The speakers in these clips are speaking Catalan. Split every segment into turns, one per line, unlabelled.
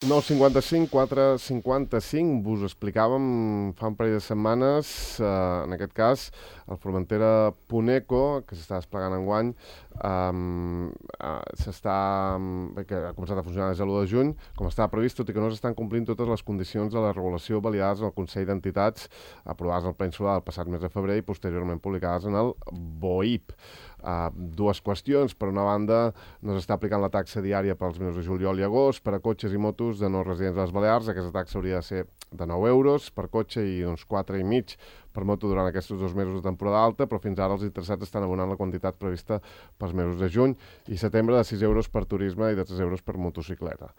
9.55, 4.55, vos explicàvem fa un parell de setmanes, en aquest cas, el Formentera Puneco, que s'està desplegant enguany, que ha començat a funcionar des de l'1 de juny, com estava previst, tot i que no s'estan complint totes les condicions de la regulació validades en el Consell d'Entitats, aprovades al Ple Insular el passat mes de febrer i posteriorment publicades en el BOIP. Dues qüestions. Per una banda, no s'està aplicant la taxa diària pels mesos de juliol i agost per a cotxes i motos de no residents de les Balears. Aquesta taxa hauria de ser de 9 euros per cotxe i uns 4,5 per moto durant aquests 2 mesos de temporada alta, però fins ara els interessats estan abonant la quantitat prevista pels mesos de juny i setembre de 6 euros per turisme i de 3 euros per motocicleta.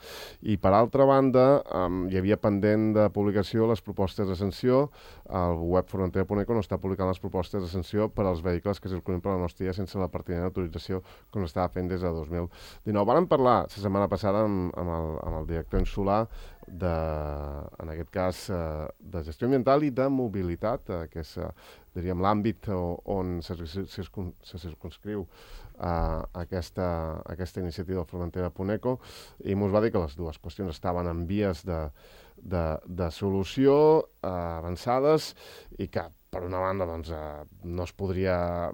I per altra banda, hi havia pendent de publicació les propostes de sanció. El web Formentera Puneco no està publicant les propostes de sanció per als vehicles que circulin per la nostra sense la pertinent autorització com estava fent des de 2019. Vàrem parlar la setmana passada amb el director insular en aquest cas, de gestió ambiental i de mobilitat, que és, diríem, l'àmbit on se circunscriu aquesta iniciativa del Formentera Puneco, i ens va dir que les dues qüestions estaven en vies de solució avançades i que, per una banda, doncs, no es podria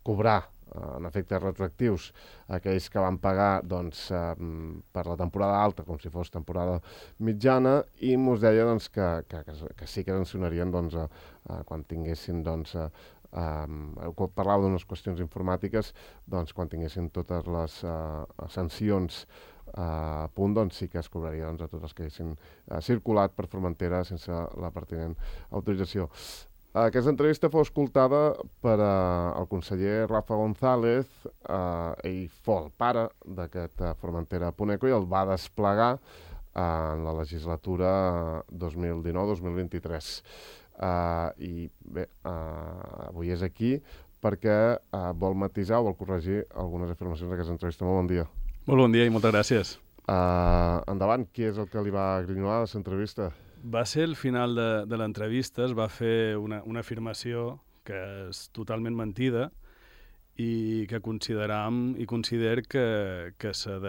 cobrar en efectes retroactius aquells que van pagar doncs, per la temporada alta com si fos temporada mitjana, i ens deia doncs, que sí que sancionarien doncs, quan tinguessin doncs, parlava d'unes qüestions informàtiques, doncs, quan tinguessin totes les sancions a punt, doncs sí que es cobraria doncs, a tots els que haguessin circulat per Formentera sense la pertinent autorització. Aquesta entrevista fou escoltada per el conseller Rafa González. Ell fou el pare d'aquest Formentera Puneco i el va desplegar en la legislatura 2019-2023. I bé, avui és aquí perquè vol matisar o vol corregir algunes afirmacions d'aquesta entrevista. Molt bon dia.
Molt bon dia i moltes gràcies.
Endavant, qui és el que li va grinyolar de l'entrevista?
Va ser el final de l'entrevista, es va fer una afirmació que és totalment mentida i que consideram i consider que s'ha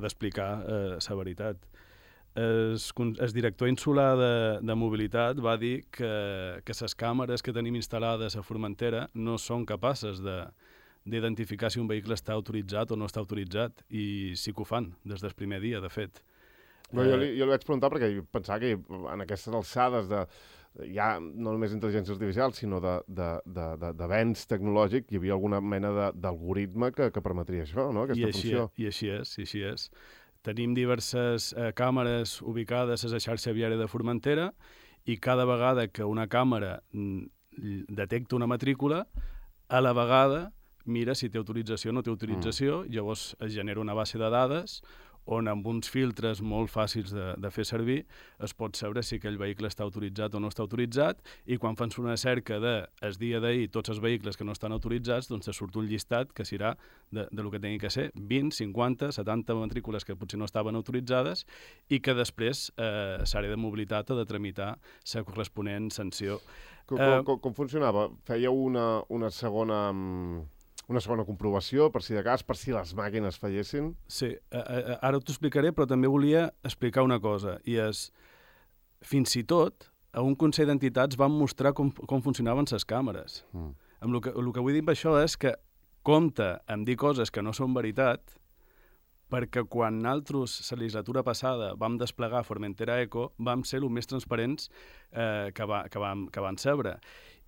d'explicar la veritat. El director insular de mobilitat va dir que les càmeres que tenim instal·lades a Formentera no són capaces d'identificar si un vehicle està autoritzat o no està autoritzat, i sí que ho fan des del primer dia, de fet.
No, jo li vaig preguntar perquè pensava que en aquestes alçades ja no només intel·ligència artificial, sinó d'avenç tecnològic, hi havia alguna mena d'algoritme que permetria això, no? Aquesta funció.
I així és. Tenim diverses càmeres ubicades a la xarxa viària de Formentera i cada vegada que una càmera detecta una matrícula, a la vegada mira si té autorització o no té autorització, llavors es genera una base de dades on amb uns filtres molt fàcils de fer servir es pot saber si aquell vehicle està autoritzat o no està autoritzat, i quan fan una cerca el dia d'ahir tots els vehicles que no estan autoritzats, doncs te surt un llistat que serà del que tingui que ser 20, 50, 70 matrícules que potser no estaven autoritzades i que després l'àrea de mobilitat ha de tramitar la corresponent sanció.
Com funcionava? Fèieu una segona comprovació, per si de cas, per si les màquines fallessin?
Sí, ara t'ho explicaré, però també volia explicar una cosa, i és, fins i tot, a un Consell d'Entitats vam mostrar com funcionaven les càmeres. El que vull dir amb això és que compta amb dir coses que no són veritat, perquè quan nosaltres, la legislatura passada, vam desplegar Formentera Eco, vam ser els més transparents que van saber.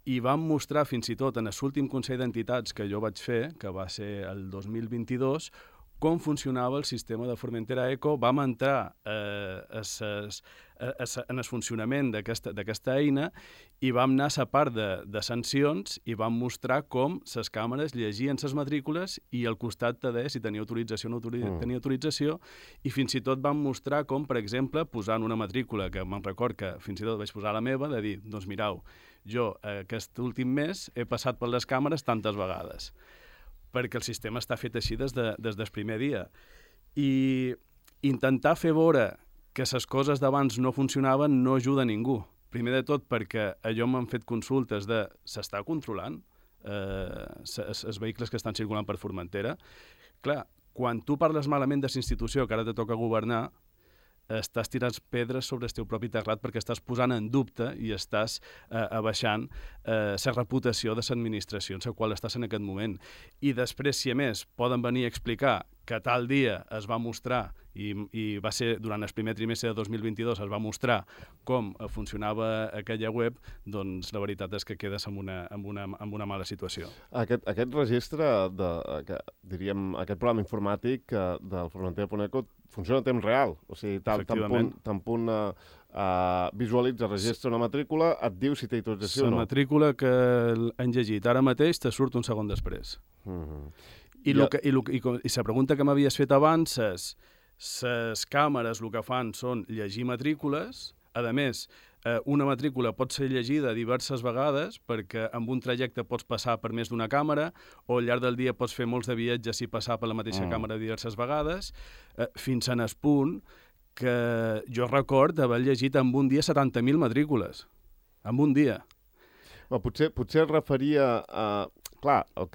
I vam mostrar fins i tot en l'últim Consell d'Entitats que jo vaig fer, que va ser el 2022, com funcionava el sistema de Formentera Eco. Vam entrar en el funcionament d'aquesta eina i vam anar a la part de sancions i vam mostrar com les càmeres llegien les matrícules i al costat te deia si tenia autorització o no tenia autorització, i fins i tot vam mostrar com, per exemple, posant una matrícula, que me'n record que fins i tot vaig posar la meva, de dir, doncs mireu, jo aquest últim mes he passat per les càmeres tantes vegades, perquè el sistema està fet així des del primer dia. I intentar fer veure que les coses d'abans no funcionaven no ajuda a ningú. Primer de tot perquè allò m'han fet consultes de s'està controlant els vehicles que estan circulant per Formentera. Clar, quan tu parles malament de la institució que ara te toca governar, estàs tirant pedres sobre el teu propi terrat perquè estàs posant en dubte i estàs abaixant la reputació de l'administració en la qual estàs en aquest moment. I després, si a més poden venir a explicar que tal dia es va mostrar, i va ser durant el primer trimestre de 2022, es va mostrar com funcionava aquella web, doncs la veritat és que quedes en una mala situació.
Aquest registre, diríem, aquest programa informàtic del Formentera.eco funciona a temps real. O sigui, tan punt visualitza, registra una matrícula, et diu si té autorització o no.
La matrícula que han llegit ara mateix te surt un segon després. I la pregunta que m'havies fet abans és, les càmeres el que fan són llegir matrícules, a més, una matrícula pot ser llegida diverses vegades perquè amb un trajecte pots passar per més d'una càmera o al llarg del dia pots fer molts de viatges i passar per la mateixa càmera diverses vegades, fins en el punt que jo record haver llegit en un dia 70.000 matrícules. En un dia.
Potser es referia a... Clar, el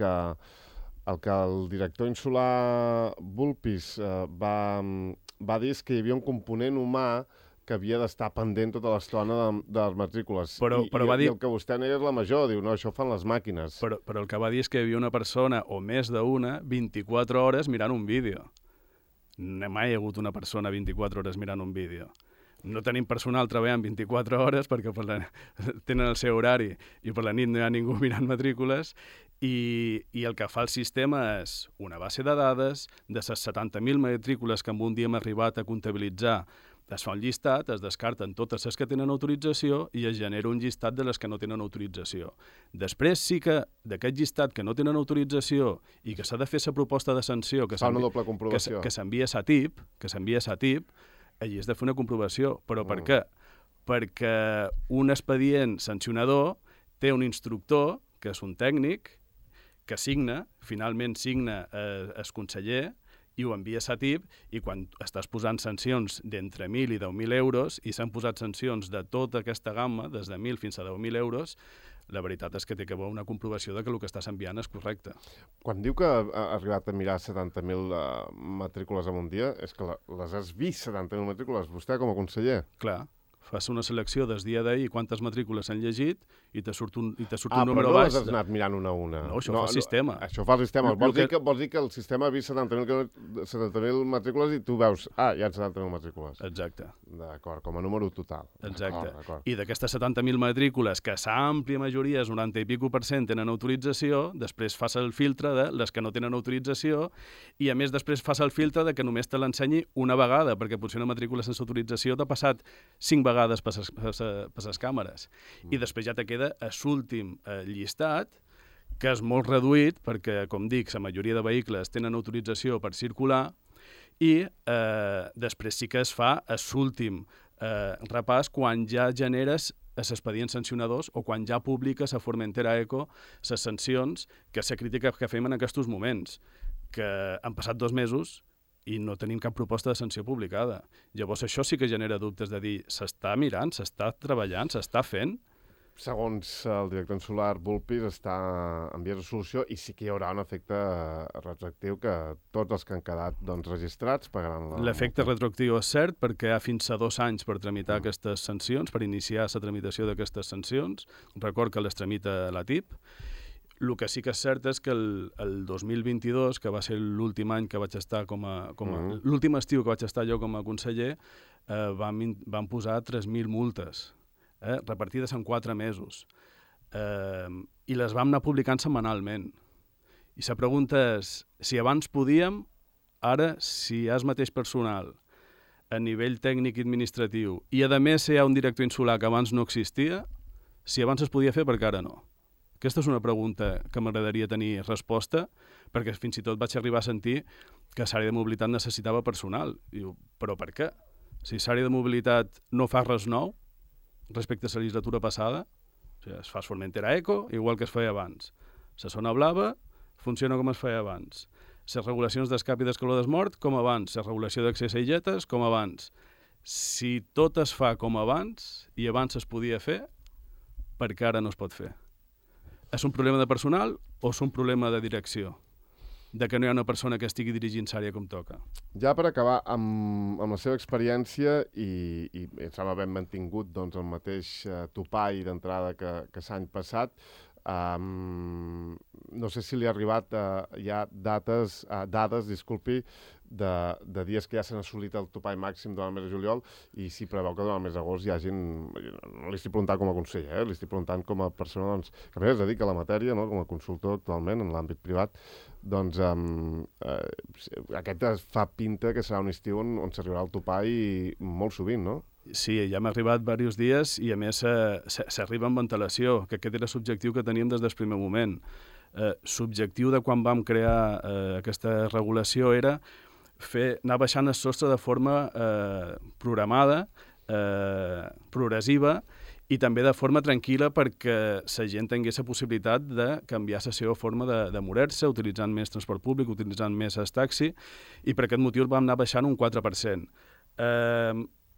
que el director insular Vulpis va dir és que hi havia un component humà que havia d'estar pendent tota l'estona de les matrícules. I el que vostè nega és la major, diu, no, això fan les màquines.
Però el que va dir és que hi havia una persona, o més d'una, 24 hores mirant un vídeo. Mai hi ha hagut una persona 24 hores mirant un vídeo. No tenim personal treballant 24 hores perquè tenen el seu horari i per la nit no hi ha ningú mirant matrícules i el que fa el sistema és una base de dades de les 70.000 matrícules que en un dia hem arribat a comptabilitzar. Es fa un llistat, es descarten totes les que tenen autorització i es genera un llistat de les que no tenen autorització. Després sí que d'aquest llistat que no tenen autorització i que s'ha de fer la proposta de sanció que s'envia a SATIP, allí has de fer una comprovació. Però per què? Perquè un expedient sancionador té un instructor, que és un tècnic, que finalment signa el conseller i ho envia a SATIP, i quan estàs posant sancions d'entre 1.000 i 10.000 euros, i s'han posat sancions de tota aquesta gamma, des de 1.000 fins a 10.000 euros, la veritat és que té que haver una comprovació de que el que estàs enviant és correcte.
Quan diu que ha arribat a mirar 70.000 matrícules en un dia, és que les has vist, 70.000 matrícules, vostè com a conseller?
Clar. Fas una selecció des dia d'ahir quantes matrícules s'han llegit i te surt un número
però no
baix.
les has anat mirant una a una.
No, això fa el sistema.
Això fa el sistema. Vols dir que el sistema ha vist 70.000 matrícules i tu veus, hi ha 70.000 matrícules.
Exacte.
D'acord, com a número total.
Exacte. I d'aquestes 70.000 matrícules, que l'àmplia majoria, és 90 i pico %, tenen autorització, després fas el filtre de les que no tenen autorització i, a més, després fas el filtre de que només te l'ensenyi una vegada, perquè potser una matrícula sense autorització t'ha passat 5 vegades per les càmeres. I després ja te queda l'últim llistat, que és molt reduït, perquè, com dic, la majoria de vehicles tenen autorització per circular, i després sí que es fa l'últim repàs quan ja generes els expedients sancionadors o quan ja publiques a Formentera.eco les sancions, que és la crítica que fem en aquests moments, que han passat 2 mesos i no tenim cap proposta de sanció publicada. Llavors això sí que genera dubtes de dir s'està mirant, s'està treballant, s'està fent.
Segons el director insular Vulpis, està en vies de solució i sí que hi haurà un efecte retroactiu que tots els que han quedat registrats pagaran la...
L'efecte retroactiu és cert perquè hi ha fins a 2 anys per tramitar aquestes sancions, per iniciar la tramitació d'aquestes sancions. Record que les tramita la TIP. El que sí que és cert és que el 2022, que va ser l'últim any que vaig estar l'últim estiu que vaig estar jo com a conseller, van posar 3.000 multes, repartides en 4 mesos. I les vam anar publicant setmanalment. I la pregunta és, si abans podíem, ara, si hi ha el mateix personal a nivell tècnic i administratiu, i a més hi ha un director insular que abans no existia, si abans es podia fer, per què ara no? Aquesta és una pregunta que m'agradaria tenir resposta, perquè fins i tot vaig arribar a sentir que l'àrea de mobilitat necessitava personal. Diu, però per què? Si l'àrea de mobilitat no fa res nou respecte a la legislatura passada, o sigui, es fa Formentera.eco, igual que es feia abans. La zona blava funciona com es feia abans. Les regulacions d'escap i d'escaló desmort, com abans. La regulació d'accés a illetes, com abans. Si tot es fa com abans, i abans es podia fer, per què ara no es pot fer? És un problema de personal o és un problema de direcció? de que no hi ha una persona que estigui dirigint l'àrea com toca.
Ja per acabar, amb la seva experiència i em sembla ben mantingut doncs, el mateix topall d'entrada que l'any passat, no sé si li ha arribat ja dades, de dies que ja s'han assolit el topall màxim durant el mes de juliol i si preveu que durant el mes d'agost hi hagin... No li estic preguntant com a conseller, li estic preguntant com a persona doncs, que a més es dedica a la matèria, no? Com a consultor actualment en l'àmbit privat, doncs aquest fa pinta que serà un estiu on s'arribarà el topall molt sovint, no?
Sí, ja hem arribat diversos dies i a més s'arriba amb ventilació, que aquest era l'objectiu que teníem des del primer moment. L'objectiu de quan vam crear aquesta regulació era anar baixant el sostre de forma programada, progressiva i també de forma tranquil·la perquè la gent tingués la possibilitat de canviar la seva forma de moure-se, utilitzant més transport públic, utilitzant més el taxi, i per aquest motiu el vam anar baixant un 4%.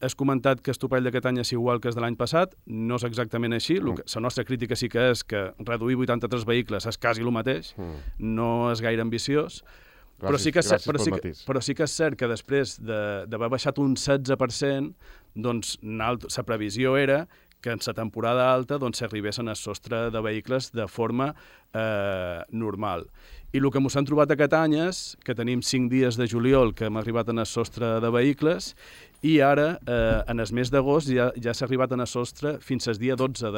Has comentat que el topall d'aquest any és igual que el de l'any passat, no és exactament així, la nostra crítica sí que és que reduir 83 vehicles és quasi el mateix, no és gaire ambiciós, però sí que és cert que després d'haver baixat un 16%, doncs la previsió era que en la temporada alta s'arribessin al sostre de vehicles de forma normal. I el que ens hem trobat aquest any és que tenim 5 dies de juliol que hem arribat al sostre de vehicles i ara, en el mes d'agost, ja s'ha arribat al sostre fins al dia 12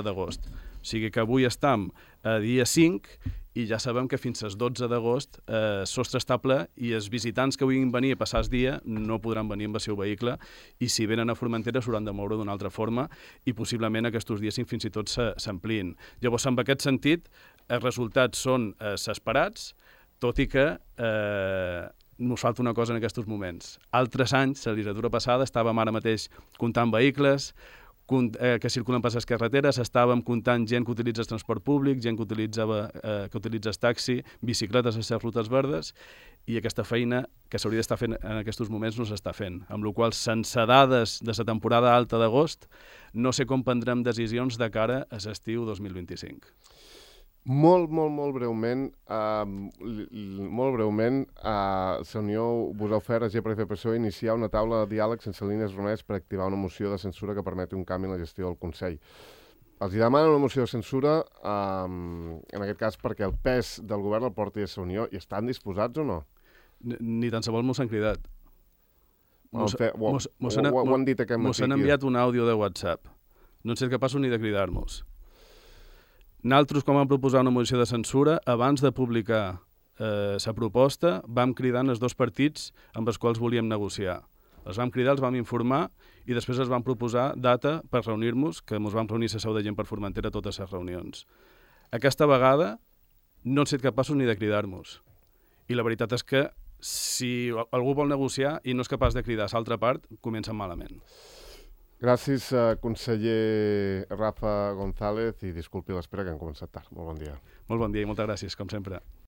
d'agost. O sigui que avui estem a dia 5 i ja sabem que fins al 12 d'agost el sostre està ple i els visitants que vulguin venir a passar el dia no podran venir amb el seu vehicle i si venen a Formentera s'hauran de moure d'una altra forma i possiblement aquests dies fins i tot s'ampliïn. Llavors, en aquest sentit, els resultats són esperats, tot i que nos falta una cosa en aquests moments. Altres anys, la legislatura passada, estàvem ara mateix comptant vehicles que circulen per les carreteres, estàvem comptant gent que utilitza el transport públic, gent que utilitza el taxi, bicicletes a les rutes verdes, i aquesta feina que s'hauria d'estar fent en aquests moments no s'està fent. Amb la qual cosa, sense dades de la temporada alta d'agost, no sé com prendrem decisions de cara a l'estiu 2025.
Molt breument, la Unió vos ha ofert a GPF-PSOE iniciar una taula de diàleg sense línies vermelles per activar una moció de censura que permeti un canvi en la gestió del Consell. Els hi demanen una moció de censura, en aquest cas perquè el pes del govern el porti a la Unió, i estan disposats o no?
Ni tan sols mos han cridat.
Ho han dit aquest matí.
Mos han enviat un àudio de WhatsApp. No en ser capaços ni de cridar-nos. Nosaltres, quan vam proposar una moció de censura, abans de publicar la proposta, vam cridar els dos partits amb els quals volíem negociar. Els vam cridar, els vam informar i després els vam proposar data per reunir-nos, que ens vam reunir a la seu de gent per Formentera totes les reunions. Aquesta vegada no han estat capaços ni de cridar-nos. I la veritat és que si algú vol negociar i no és capaç de cridar a l'altra part, comença malament.
Gràcies, conseller Rafa González, i disculpi l'espera que hem començat tard. Molt bon dia.
Molt bon dia i moltes gràcies, com sempre.